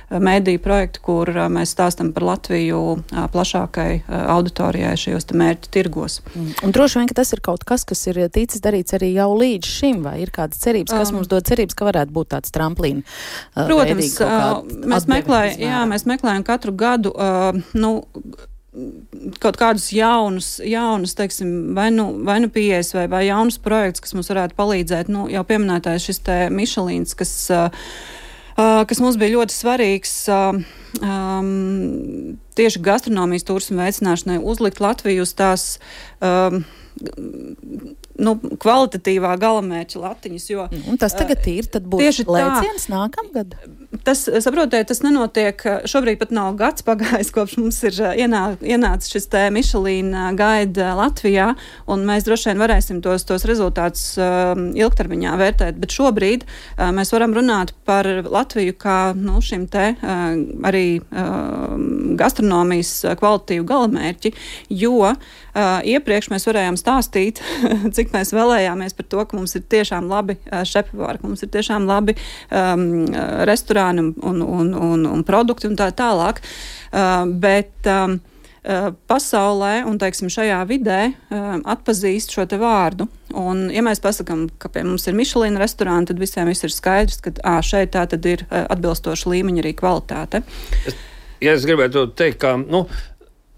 mēdīju projekti, kur mēs stāstam par Latviju plašākai auditorijai šajos te mērķu tirgos. Un droši vien, ka tas ir kaut kas ir ticis darīts arī jau līdz šim, vai ir kādas cerības, kas mums dod cerības, ka varētu būt tāds tramplīna? Protams, mēs meklējam katru gadu, kaut kādus jaunus, teiksim, vai nu pieejas vai jaunus projektus, kas mums varētu palīdzēt. Jau pieminētājs šis te Michelins, kas mums bija ļoti svarīgs tieši gastronomijas turismu veicināšanai, uzlikt Latviju uz tās kvalitatīvā galamērķa latiņas, jo... Un tas tagad ir, tad būs lēciens nākamgad? Saprotiet, tas nenotiek, šobrīd pat nav gads pagājis, kopš mums ir ienācis šis te Michelin gaida Latvijā, un mēs droši vien varēsim tos rezultātus ilgtermiņā vērtēt, bet šobrīd mēs varam runāt par Latviju kā šim te arī gastronomijas kvalitatīvu galamērķi, jo iepriekš mēs varējām stāstīt, cik mēs vēlējāmies par to, ka mums ir tiešām labi šefpavāri, ka mums ir tiešām labi restorāni un produkti un tā tālāk. Bet pasaulē un, teiksim, šajā vidē atpazīst šo te vārdu. Un, ja mēs pasakam, ka pie mums ir Michelin restorāni, tad visiem viss ir skaidrs, ka šeit tā tad ir atbilstoša līmeņa arī kvalitāte. Es gribētu teikt, ka,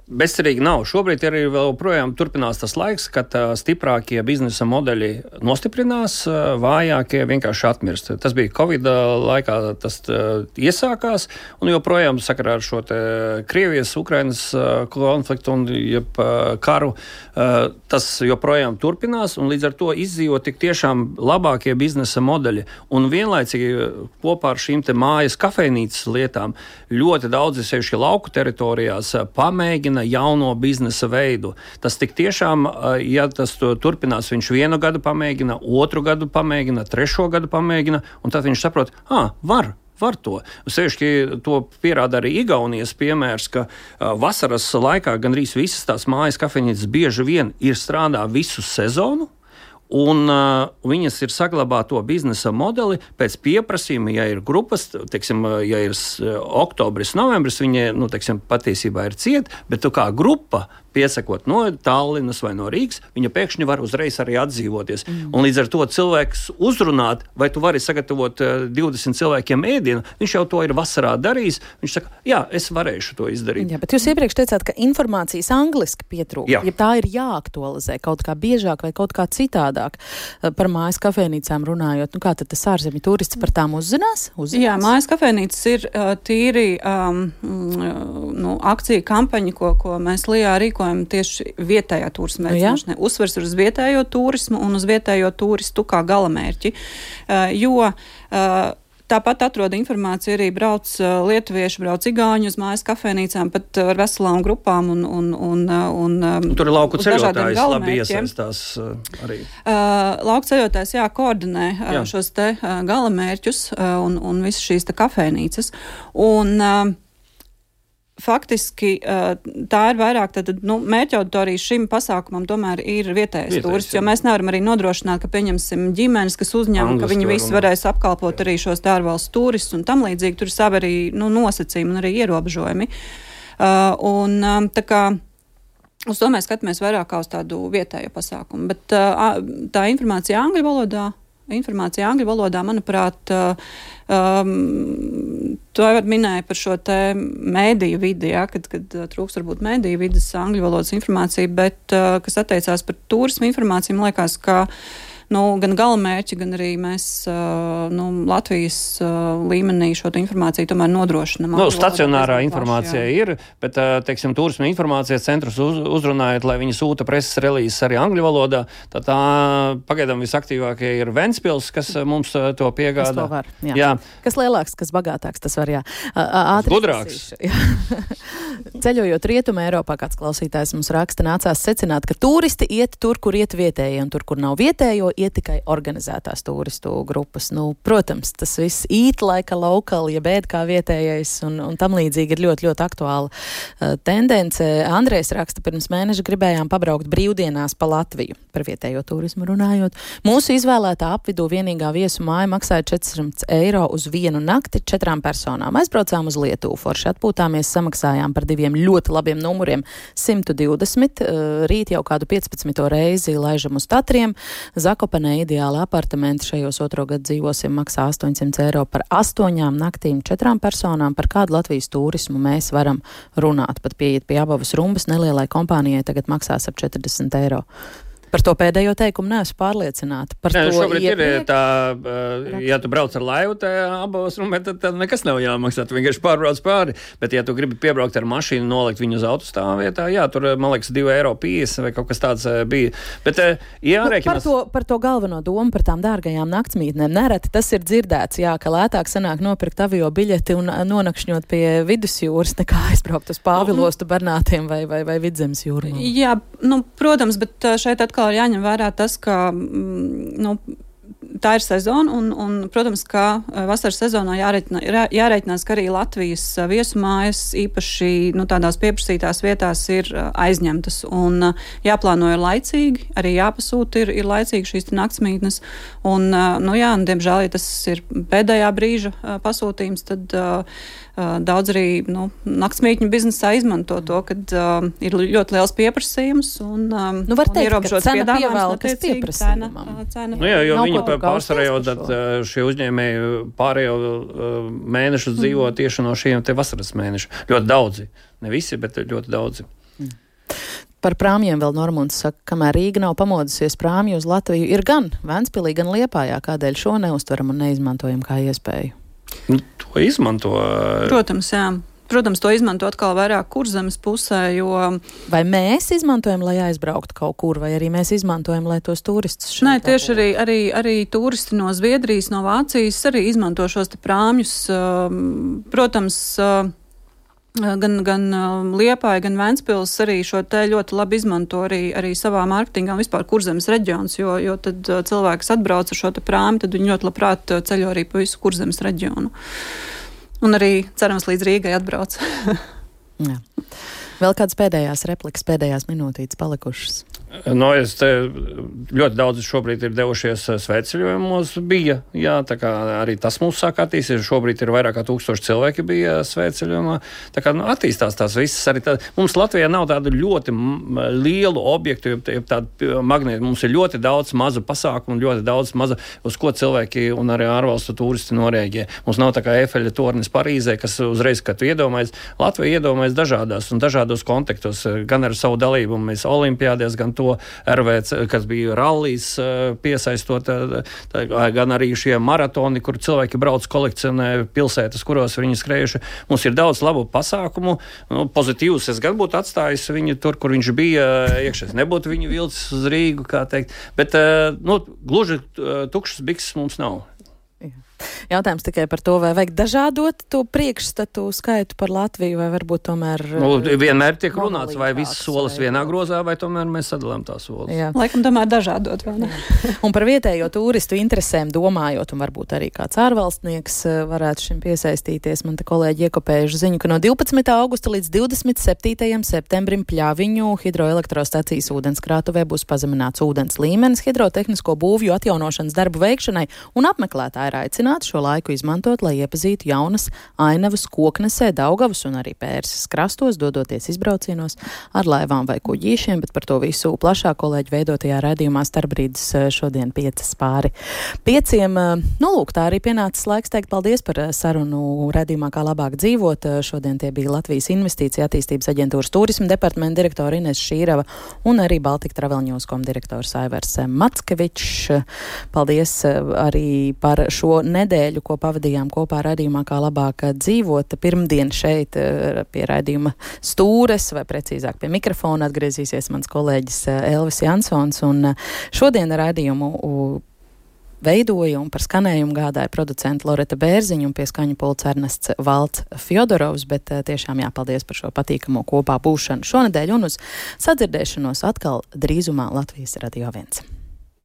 bezcerīgi nav. Šobrīd arī vēl projām turpinās tas laiks, kad stiprākie biznesa modeļi nostiprinās, vājākie vienkārši atmirst. Tas bija Covid laikā, tas iesākās, un joprojām sakarā ar šo te Krievijas, Ukrainas konfliktu un karu, tas joprojām turpinās, un līdz ar to izdzīvo tik tiešām labākie biznesa modeļi. Un vienlaicīgi kopā ar šīm te mājas kafejnīcas lietām ļoti daudzi sevišķi lauku teritorijās pamēģina maina jauno biznesa veidu. Tas tik tiešām, ja tas turpinās, viņš 1 gadu pamēģina, 2 gadu pamēģina, 3 gadu pamēģina, un tad viņš saprot, var to. Sevišķi to pierāda arī Igaunijas piemērs, ka vasaras laikā gandrīz visas tās mājas kafejnīcas bieži vien ir strādā visu sezonu, un viņas ir saglabā to biznesa modeli pēc pieprasījuma, ja ir grupas, teiksim, ja ir oktobris, novembris, viņi, teiksim, patiesībā ir ciet, bet tu kā grupa piesakot no Tallinas vai no Rīgas, viņa pēkšņi var uzreiz arī atdzīvoties. Un līdz ar to cilvēks uzrunāt, vai tu vari sagatavot 20 cilvēkiem ēdienu, viņš jau to ir vasarā darījis, viņš saka, jā, es varēšu to izdarīt. Jā, bet jūs iepriekš teicāt, ka informācijas angliski pietrūk, ja tā ir jāaktualizē kaut kā biežāk vai kaut kā citādāk. Par mājas kafejnīcām runājot, kā tad tas ārzemju turists par tām uzzinās? Jā, mājas kafejnīcas ir tīri akcija kampaņa, ko mēs Lijā rīkojam tieši vietējā turisma veicināšanai. Uzsvers ir uz vietējo turismu un uz vietējo turistu kā galamērķi, jo tāpat atrod informāciju arī brauc lietuvieši, brauc igauņi uz mājas kafejnīcām, pat ar veselām grupām un tur ir lauku ceļotājs labi iesaistās arī. Lauku ceļotājs, koordinē šos te galamērķus un visas šīs te kafejnīcas. Un faktiski tā ir vairāk, mērķa auditorija šim pasākumam tomēr ir vietējais turists, jo mēs nevaram arī nodrošināt, ka pieņemsim ģimenes, kas uzņem, ka viņi visi varēs apkalpot arī šos ārvalstu turistus un tam līdzīgi. Tur ir savi arī nosacījumi un arī ierobežojumi. Tā kā uz to mēs skatāmies vairāk kā uz tādu vietējo pasākumu. Bet tā informācija angļu valodā, manuprāt, to jau minēja par šo te mēdīju vidi, kad trūks varbūt mēdīju vidas angļu valodas informācija, bet kas attiecās par turismu informāciju, man liekas, ka gan galamērķi, gan arī mēs Latvijas līmenī šo informāciju tomēr nodrošinam. Stacionārā informācija ir, bet, teiksim, turisma informācijas centrus uzrunājot, lai viņi sūta preses relīzes arī angļu valodā, tad tā pagaidām visaktīvākie ir Ventspils, kas mums to piegādā. Kas to var, jā. Kas lielāks, kas bagātāks, tas var, Gudrāks. Ceļojot Rietumē Eiropā, kāds klausītājs mums raksta, nācās secināt, ka turisti iet tur, kur iet vietējie, un tur, kur nav vietējo, iet tikai organizētās turistu grupas. Protams, tas viss eat like a local, ja bēd kā vietējais, un tam līdzīgi ir ļoti, ļoti aktuāla tendence. Andrejs raksta, pirms mēneša gribējām pabraukt brīvdienās pa Latviju, par vietējo turismu runājot. Mūsu izvēlētā apvidū vienīgā viesu māja maksāja 400 eiro uz 1 nakti 4 personām. Aizbraucām uz Lietuvu, forši atpūtāmies, samaksājām par 2 ļoti labiem numuriem 120, rīt jau kādu 15. reizi laižam uz Tatriem. Zakopanē ideāli apartamenti, šajos 2. gadu dzīvosim, maksā 800 eiro par 8 naktīm 4 personām. Par kādu Latvijas turismu mēs varam runāt? Pat pieiet pie Abavas rumbas, nelielai kompānijai tagad maksās ap 40 eiro. Par to pēdējo teikumu neesmu pārliecināta. Šobrīd ir tā, ja tu brauc ar laivu tajā Abavas rumbē, tad nekas nav jāmaksā, tu vienkārši pārbrauc pāri. Bet, ja tu gribi piebraukt ar mašīnu, nolikt viņu uz autostāvu vietā, tur, man liekas, 2,50 eiro vai kaut kas tāds bija. Bet, jārēķinās... Par to galveno domu, par tām dārgajām naktsmītnēm. Nereti tas ir dzirdēts, ka lētāk sanāk nopirkt avio biļeti un nonakšņot pie vidusjūras, nekā aizbraukt uz Pāvilostu, Bernātiem vai Vidzemes jūru. Jā, protams, bet šeit atkal ir jāņem vērā tas, ka tā ir sezona un, protams, ka vasaras sezonā jārēķinās, ka arī Latvijas viesumājas īpaši tādās pieprasītās vietās ir aizņemtas un jāplāno ir laicīgi, arī jāpasūta ir laicīgi šīs naktsmītnes. Un, diemžēl, ja tas ir pēdējā brīža pasūtījums, tad daudz arī naktsmītņu biznesā izmanto to, kad ir ļoti liels pieprasījums un ierobežots piedāvājums pieprasījumam. Jo viņi pārsvarā jau šie uzņēmēji pārējo mēnešu dzīvo tieši no šiem te vasaras mēnešu. Ļoti daudzi. Ne visi, bet ļoti daudzi. Par prāmjiem vēl Normunds saka, kamēr Rīga nav pamodusies, prāmju uz Latviju ir gan Ventspilī, gan Liepājā. Kādēļ šo neuztveram un neizmantojam kā iespēju? To izmanto. Protams, jā. Protams, to izmanto atkal vairāk Kurzemes pusē, jo... Vai mēs izmantojam, lai aizbrauktu kaut kur, vai arī mēs izmantojam, lai tos turistus šeit? Nē, tieši arī turisti no Zviedrijas, no Vācijas arī izmanto šos te prāmjus. Protams, gan Liepāja, gan Ventspils arī šo te ļoti labi izmanto arī savā mārketingā un vispār Kurzemes reģions, jo tad cilvēks atbrauc ar šo te prāmi, tad viņi ļoti labprāt ceļo arī pa visu Kurzemes reģionu. Un arī, cerams, līdz Rīgai atbrauc. Jā. Vēl kādas pēdējās replikas, pēdējās minūtītes palikušas? Es te ļoti daudz šobrīd ir devušies svētceļojumos bija, jā, tā kā arī tas mums sāk attīstīties, šobrīd ir vairāk kā 1000 cilvēki bija svētceļojumā, tā kā attīstās tās visas arī tā. Mums Latvijā nav tādu ļoti lielu objektu, tādu magnētu, mums ir ļoti daudz mazu pasākumu, ļoti daudz maza, uz ko cilvēki un arī ārvalstu turisti norēģē. Mums nav tā kā Eifeļa tornis Parīzē, kas uzreiz, kad tu iedomājies, Latvija iedomājas dažādās un dažādos kontekstos, gan ar savu dalību, mēs olimpiādēs, gan to RVC, kas bija rallijs piesaistot, gan arī šie maratoni, kur cilvēki brauc kolekcionē pilsētas, kuros viņi skrējuši. Mums ir daudz labu pasākumu. Pozitīvus es gan būtu atstājis viņu tur, kur viņš bija iekšēs. Nebūtu viņu vilcis uz Rīgu, kā teikt. Bet gluži tukšas bikses mums nav. Jautājums tikai par to, vai vajag dažādot to priekšstatu skaitu par Latviju, vai varbūt tomēr... Vienmēr tiek runāts, vai visas solas vienā grozā, vai tomēr mēs sadalām tās solas. Jā. Laikam tomēr dažādot, vai ne? Un par vietējo turistu interesēm domājot, un varbūt arī kāds ārvalstnieks varētu šim piesaistīties, man te kolēģi iekopējuši ziņu, ka no 12. augusta līdz 27. septembrim Pļaviņu hidroelektrostacijas ūdenskrātuvē būs pazemināts ūdens līmenis hidrotehnisko būvju atjaunošanas darbu veikšanai, un apmeklētāji ir aicināti šo laiku izmantot, lai iepazītu jaunas ainavas Koknesē, Daugavas un arī Pērses krastos, dodoties izbraucienos ar laivām vai kuģīšiem, bet par to visu plašāk kolēģi veidotajā raidījumā Starpbrīdis šodien 5:05. Lūk, tā arī pienācis laiks teikt paldies par sarunu raidījumā Kā labāk dzīvot. Šodien tie bija Latvijas Investīcija attīstības aģentūras turisma departamenta direktora Ines Šīrava un arī Baltika Travel News.com direktors Aivars Mackevičs. Paldies arī par šo nedēļu, ko pavadījām kopā raidījumā Kā labāk dzīvot. Pirmdien šeit pie raidījuma stūres, vai precīzāk pie mikrofona atgriezīsies mans kolēģis Elvis Jansons, un šodien raidījumu veidoja un par skanējumu gādāja producenta Loreta Bērziņa un pie skaņu pults Ernests Valts Fjodorovs, bet tiešām jāpaldies par šo patīkamo kopā būšanu šonedēļ un uz sadzirdēšanos atkal drīzumā Latvijas Radio 1.